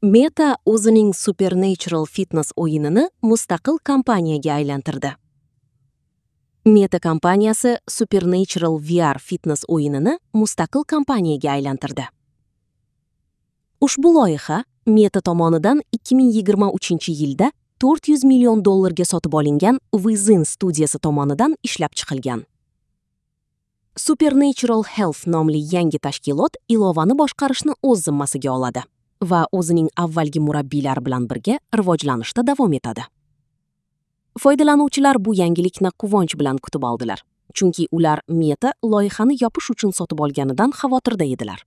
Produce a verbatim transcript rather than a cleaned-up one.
Meta o'zining Supernatural Fitness o'yinini mustaqil kompaniyaga aylantirdi. Meta kompaniyasi Supernatural V R Fitness o'yinini mustaqil kompaniyaga aylantirdi. Ushbu loyiha Meta tomonidan ikki ming yigirma uchinchi yilda to'rt yuz million dollarga sotib olingan Within studiyasi tomonidan ishlab chiqilgan. Supernatural Health nomli yangi tashkilot ilovani boshqarishni o'z zimmasiga oladi va o'zining avvalgi murabbiylari bilan birga rivojlanishda davom etadi. Foydalanuvchilar bu yangilikni quvonch bilan kutib oldilar, chunki ular Meta loyihani yopish uchun sotib olganidan xavotirda edilar.